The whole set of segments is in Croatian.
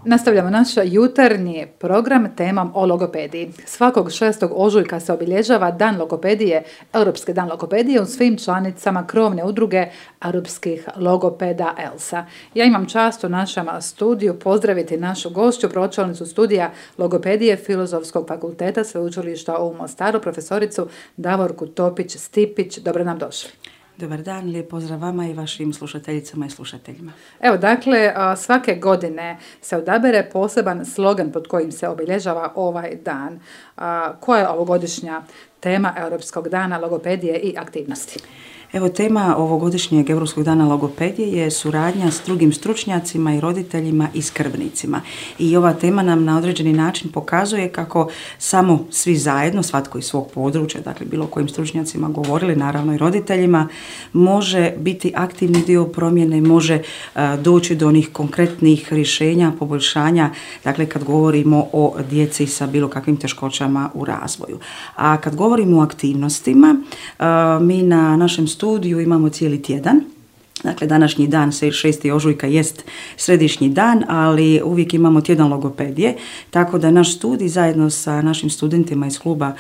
Nastavljamo naš jutarnji program temom o logopediji. Svakog 6. ožujka se obilježava Dan logopedije, Europski dan logopedije u svim članicama krovne udruge europskih logopeda ELSA. Ja imam čast u našem studiju pozdraviti našu gošću, pročelnicu studija logopedije Filozofskog fakulteta Sveučilišta u Mostaru, profesoricu Davorku Topić-Stipić. Dobro nam došli. Dobar dan, lijep pozdrav vama i vašim slušateljicama i slušateljima. Evo, dakle, svake godine se odabere poseban slogan pod kojim se obilježava ovaj dan. Koja je ovogodišnja tema Europskog dana logopedije i aktivnosti? Evo, tema ovogodišnjeg Europskog dana logopedije je suradnja s drugim stručnjacima i roditeljima i skrbnicima. I ova tema nam na određeni način pokazuje kako samo svi zajedno, svatko iz svog područja, dakle bilo kojim stručnjacima govorili, naravno i roditeljima, može biti aktivni dio promjene, može doći do onih konkretnih rješenja, poboljšanja, dakle kad govorimo o djeci sa bilo kakvim teškoćama u razvoju. A kad govorimo o aktivnostima, mi na našem studiju imamo cijeli tjedan. Dakle, današnji dan, 6. ožujka, jest središnji dan, ali uvijek imamo tjedan logopedije, tako da naš studij zajedno sa našim studentima iz kluba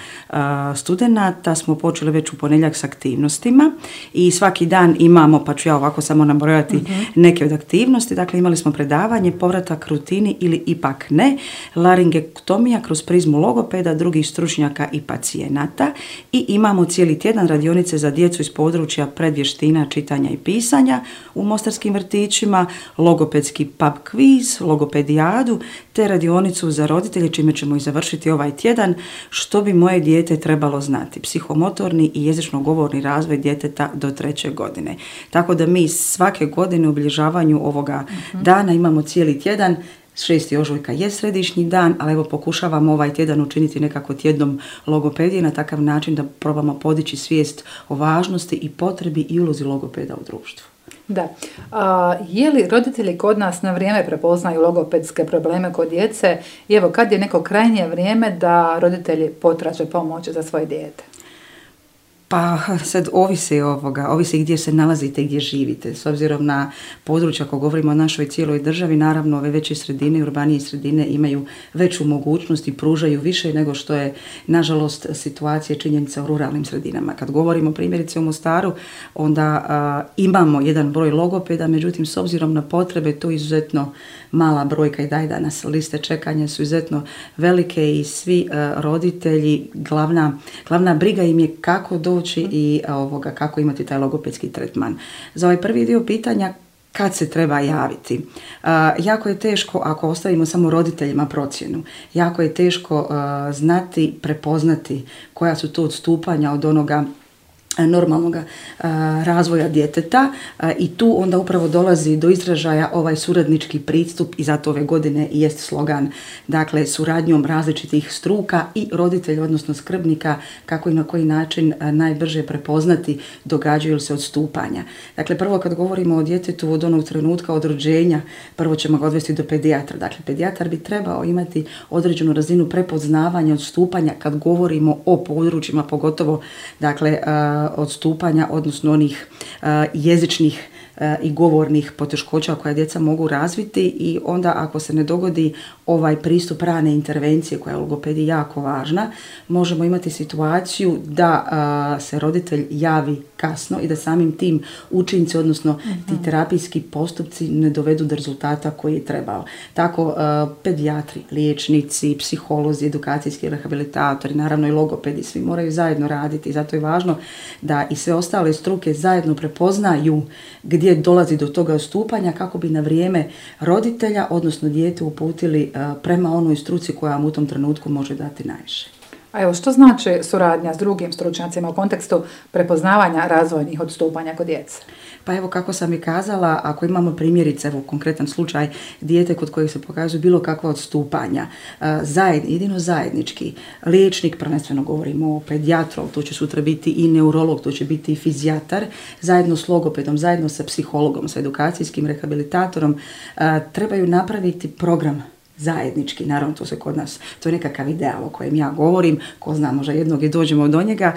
studenata smo počeli već u ponedjeljak s aktivnostima i svaki dan imamo, pa ću ja ovako samo nabrojati neke od aktivnosti. Dakle, imali smo predavanje, povratak rutini ili ipak ne, laringektomija kroz prizmu logopeda, drugih stručnjaka i pacijenata i imamo cijeli tjedan radionice za djecu iz područja predvještina čitanja i pisanja u mostarskim vrtićima, logopedski pub kviz, logopedijadu te radionicu za roditelje, čime ćemo i završiti ovaj tjedan, što bi moje dijete trebalo znati, psihomotorni i jezično-govorni razvoj djeteta do 3. godine. Tako da mi svake godine u obilježavanju ovoga dana imamo cijeli tjedan. 6. ožujka je središnji dan, ali evo pokušavamo ovaj tjedan učiniti nekako tjednom logopedije na takav način da probamo podići svijest o važnosti i potrebi i ulozi logopeda u društvu. Da. Je li roditelji kod nas na vrijeme prepoznaju logopedske probleme kod djece i evo kad je neko krajnje vrijeme da roditelji potraže pomoć za svoje dijete? Pa sad ovisi gdje se nalazite, gdje živite. S obzirom na područja, ako govorimo o našoj cijeloj državi, naravno ove veće sredine, urbanije sredine imaju veću mogućnost i pružaju više nego što je, nažalost, situacija činjenica u ruralnim sredinama. Kad govorimo primjerice o Mostaru, onda imamo jedan broj logopeda, međutim, s obzirom na potrebe, to je izuzetno mala brojka i danas liste čekanja su izuzetno velike i svi roditelji, glavna briga im je kako doći i kako imati taj logopedski tretman. Za ovaj prvi dio pitanja, kad se treba javiti? Jako je teško ako ostavimo samo roditeljima procjenu. Jako je teško znati, prepoznati koja su to odstupanja od onoga normalnog razvoja djeteta i tu onda upravo dolazi do izražaja ovaj suradnički pristup i zato ove godine i jest slogan, dakle suradnjom različitih struka i roditelja, odnosno skrbnika, kako i na koji način najbrže prepoznati događaju li se odstupanja. Dakle, prvo kad govorimo o djetetu od onog trenutka od rođenja, prvo ćemo ga odvesti do pedijatra. Dakle, pedijatar bi trebao imati određenu razinu prepoznavanja odstupanja kad govorimo o područjima, pogotovo dakle odstupanja, odnosno onih jezičnih i govornih poteškoća koje djeca mogu razviti i onda ako se ne dogodi ovaj pristup rane intervencije koja je u logopediji jako važna, možemo imati situaciju da se roditelj javi kasno i da samim tim učinci, odnosno ti terapijski postupci ne dovedu do rezultata koji je trebao. Tako pedijatri, liječnici, psiholozi, edukacijski rehabilitatori, naravno i logopedi, svi moraju zajedno raditi i zato je važno da i sve ostale struke zajedno prepoznaju gdje dolazi do toga odstupanja kako bi na vrijeme roditelja, odnosno dijete uputili prema onoj struci koja vam u tom trenutku može dati najviše. A evo, što znači suradnja s drugim stručnjacima u kontekstu prepoznavanja razvojnih odstupanja kod djece? Pa evo, kako sam i kazala, ako imamo primjerice, evo konkretan slučaj, dijete kod kojeg se pokazuju bilo kakva odstupanja, jedino zajednički, liječnik, prvenstveno govorimo o pedijatru, tu će sutra biti i neurolog, tu će biti i fizijatar, zajedno s logopedom, zajedno sa psihologom, sa edukacijskim rehabilitatorom, trebaju napraviti program zajednički, naravno to se kod nas, to je nekakav ideal o kojem ja govorim, ko zna, možda jednog i dođemo do njega,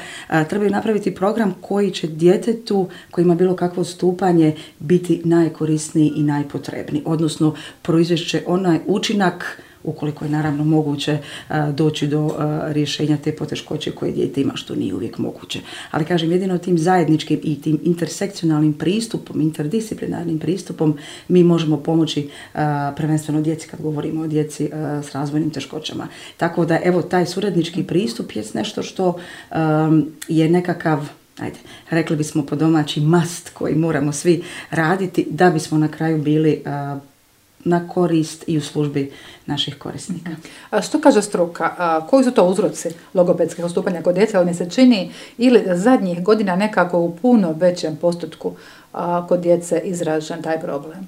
trebaju napraviti program koji će djetetu koji ima bilo kakvo odstupanje biti najkorisniji i najpotrebniji, odnosno proizvest će onaj učinak ukoliko je naravno moguće doći do rješenja te poteškoće koje dijete ima, što nije uvijek moguće. Ali kažem, jedino tim zajedničkim i tim intersekcionalnim pristupom, interdisciplinarnim pristupom mi možemo pomoći prvenstveno djeci kad govorimo o djeci s razvojnim teškoćama. Tako da evo taj suradnički pristup je nešto što je nekakav, rekli bismo po domaći must koji moramo svi raditi da bismo na kraju bili na korist i u službi naših korisnika. A što kaže struka? Koji su to uzroci logopedskih odstupanja kod djece? Ali mi se čini ili zadnjih godina nekako u puno većem postotku kod djece izražen taj problem.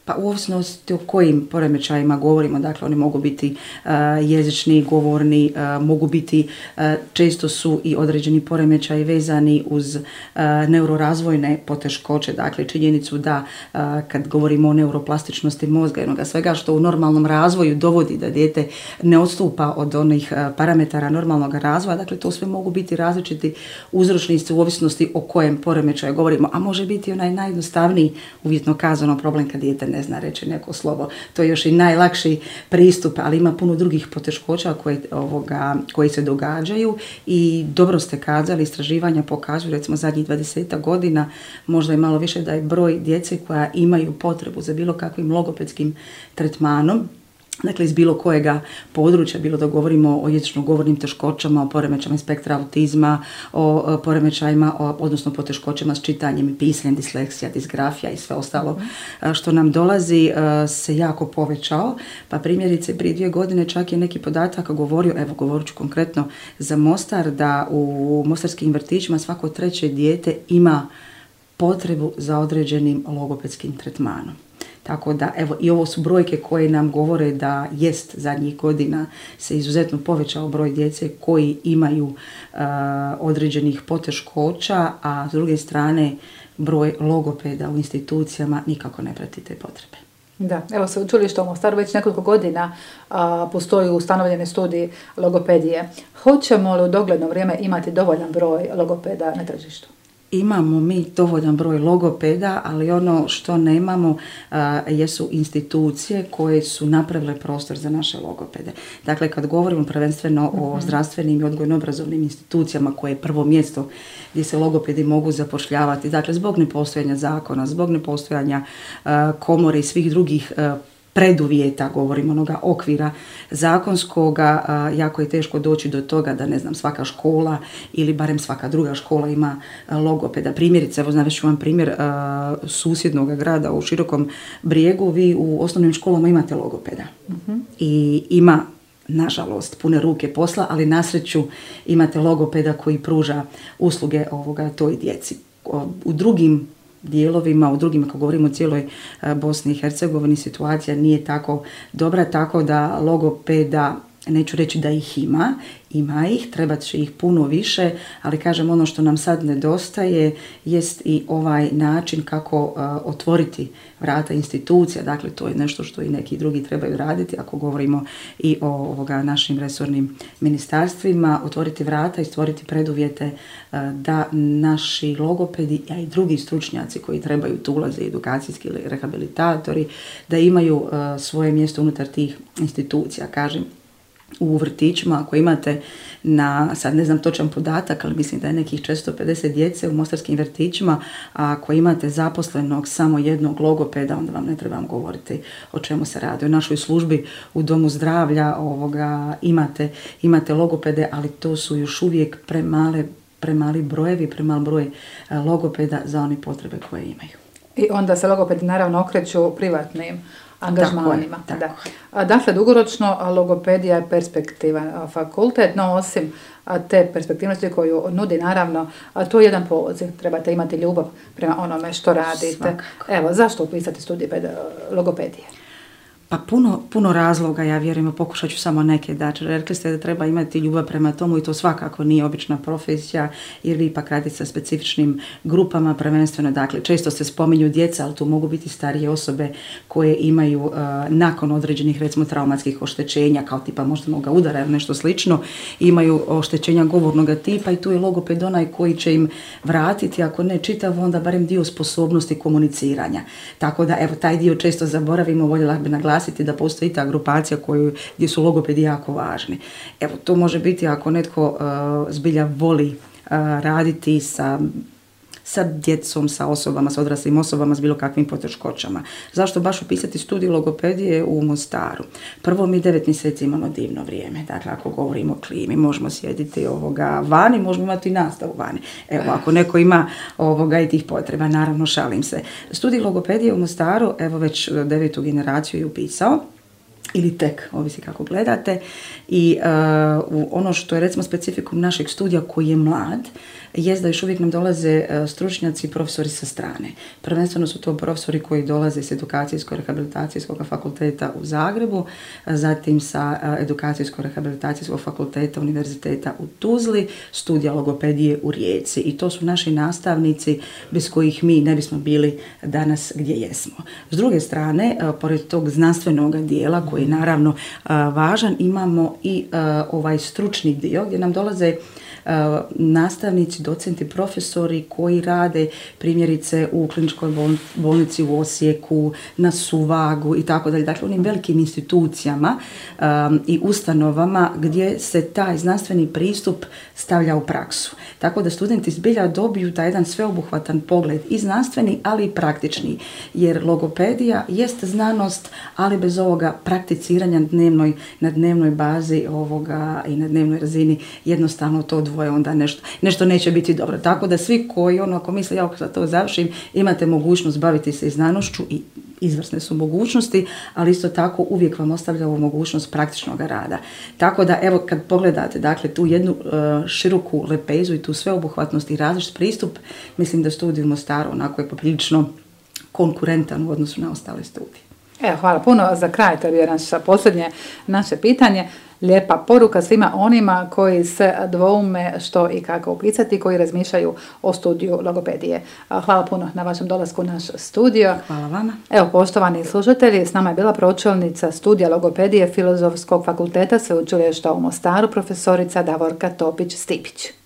Pa u ovisnosti o kojim poremećajima govorimo, dakle oni mogu biti jezični, govorni, mogu biti, često su i određeni poremećaji vezani uz neurorazvojne poteškoće, dakle činjenicu da kad govorimo o neuroplastičnosti mozga, jednoga svega što u normalnom razvoju dovodi da dijete ne odstupa od onih parametara normalnog razvoja, dakle to sve mogu biti različiti uzročnici u ovisnosti o kojem poremećaju govorimo, a može biti onaj najjednostavniji, uvjetno kazano, problem kad dijete ne zna reći neko slovo. To je još i najlakši pristup, ali ima puno drugih poteškoća koje se događaju i dobro ste kazali, istraživanja pokazuju, recimo zadnjih 20 godina, možda i malo više, da je broj djece koja imaju potrebu za bilo kakvim logopedskim tretmanom, dakle iz bilo kojega područja, bilo da govorimo o jezično-govornim teškoćama, o poremećajima spektra autizma, o poremećajima, odnosno poteškoćama s čitanjem i pisanjem, disleksija, disgrafija i sve ostalo što nam dolazi, se jako povećao. Pa primjerice prije 2 godine čak je neki podatak govorio, evo govorit ću konkretno za Mostar, da u mostarskim vrtićima svako 3. dijete ima potrebu za određenim logopedskim tretmanom. Tako da, evo, i ovo su brojke koje nam govore da jest zadnjih godina se izuzetno povećao broj djece koji imaju određenih poteškoća, a s druge strane broj logopeda u institucijama nikako ne prati te potrebe. Da, evo sveučilište u Mostaru već nekoliko godina postoji ustanovljeni studij logopedije. Hoćemo li u dogledno vrijeme imati dovoljan broj logopeda na tržištu? Imamo mi dovoljan broj logopeda, ali ono što nemamo jesu institucije koje su napravile prostor za naše logopede. Dakle, kad govorimo prvenstveno o zdravstvenim i odgojno-obrazovnim institucijama koje je prvo mjesto gdje se logopedi mogu zapošljavati, dakle zbog nepostojanja zakona, zbog nepostojanja komore i svih drugih preduvjeta, govorimo onoga okvira zakonskoga, jako je teško doći do toga da, ne znam, svaka škola ili barem svaka druga škola ima logopeda. Primjerice, evo navest ću vam primjer susjednog grada u Širokom Brijegu, vi u osnovnim školama imate logopeda. I ima, nažalost, pune ruke posla, ali na sreću imate logopeda koji pruža usluge toj djeci. U drugim dijelovima, u drugim, ako govorimo o cijeloj Bosni i Hercegovini, situacija nije tako dobra, tako da logopeda, neću reći da ih ima ih, trebat će ih puno više, ali kažem, ono što nam sad nedostaje jest i ovaj način kako otvoriti vrata institucija, dakle to je nešto što i neki drugi trebaju raditi, ako govorimo i o našim resornim ministarstvima, otvoriti vrata i stvoriti preduvjete da naši logopedi, a i drugi stručnjaci koji trebaju tu ulaze, edukacijski ili rehabilitatori, da imaju svoje mjesto unutar tih institucija. Kažem, u vrtićima, ako imate sad ne znam točan podatak, ali mislim da je nekih 450 djece u mostarskim vrtićima, a ako imate zaposlenog samo jednog logopeda, onda vam ne trebam govoriti o čemu se radi. U našoj službi u domu zdravlja imate logopede, ali to su još uvijek premali brojevi, premal broj logopeda za one potrebe koje imaju. I onda se logopedi naravno okreću privatnim angažmanima. Tako. Dakle, dugoročno logopedija je perspektivan fakultet, no osim te perspektivnosti koju nudi, naravno, to je jedan poziv. Trebate imati ljubav prema onome što radite. Svakako. Evo, zašto upisati studij logopedije? Pa puno razloga, ja vjerujem, pokušat ću samo neke daći. Rekli ste da treba imati ljubav prema tomu i to svakako nije obična profesija, jer vi ipak radite sa specifičnim grupama, prvenstveno, dakle, često se spominju djeca, ali tu mogu biti starije osobe koje imaju nakon određenih, recimo, traumatskih oštećenja, kao tipa moždanog udara ili nešto slično, imaju oštećenja govornog tipa i tu je logoped onaj koji će im vratiti, ako ne čitav, onda barem dio sposobnosti komuniciranja. Tako da, evo, taj dio često zaboravimo, voljela bi naglasiti da postoji ta grupacija gdje su logopedi jako važni. Evo, to može biti ako netko zbilja voli raditi sa djecom, sa osobama, sa odraslim osobama s bilo kakvim poteškoćama. Zašto baš upisati studij logopedije u Mostaru? Prvo, mi 9 mjeseci imamo divno vrijeme. Dakle, ako govorimo o klimi, možemo sjediti vani, možemo imati i nastavu vani. Evo, ako neko ima i tih potreba, naravno, šalim se. Studij logopedije u Mostaru, evo, već 9. generaciju je upisao, ili tek, ovisi kako gledate. I ono što je, recimo, specifikum našeg studija koji je mlad, jest da još uvijek nam dolaze stručnjaci i profesori sa strane. Prvenstveno su to profesori koji dolaze s Edukacijsko-rehabilitacijskog fakulteta u Zagrebu, zatim sa Edukacijsko-rehabilitacijskog fakulteta Univerziteta u Tuzli, studija logopedije u Rijeci. I to su naši nastavnici bez kojih mi ne bismo bili danas gdje jesmo. S druge strane, pored tog znanstvenog dijela koji je naravno važan, imamo i ovaj stručni dio gdje nam dolaze nastavnici, docenti, profesori koji rade primjerice u kliničkoj bolnici u Osijeku, na Suvagu i tako dalje. Dakle, onim velikim institucijama i ustanovama gdje se taj znanstveni pristup stavlja u praksu. Tako da studenti zbilja dobiju taj jedan sveobuhvatan pogled i znanstveni, ali i praktični. Jer logopedija jest znanost, ali bez ovoga prakticiranja na dnevnoj bazi i na dnevnoj razini jednostavno to dvoje onda nešto neće biti dobro. Tako da svi koji ako misle ja sad to završim, imate mogućnost baviti se i znanošću i izvrsne su mogućnosti, ali isto tako uvijek vam ostavljamo mogućnost praktičnog rada. Tako da evo kad pogledate dakle tu jednu široku lepezu i tu sveobuhvatnost i različit pristup, mislim da studij u Mostaru onako je poprilično konkurentan u odnosu na ostale studije. Evo, hvala puno. Za kraj, to je posljednje naše pitanje. Lijepa poruka svima onima koji se dvoume što i kako upisati, koji razmišljaju o studiju logopedije. Hvala puno na vašem dolasku u naš studio. Hvala vama. Evo, poštovani slušatelji, s nama je bila pročelnica studija logopedije Filozofskog fakulteta Sveučilišta u Mostaru, profesorica Davorka Topić-Stipić.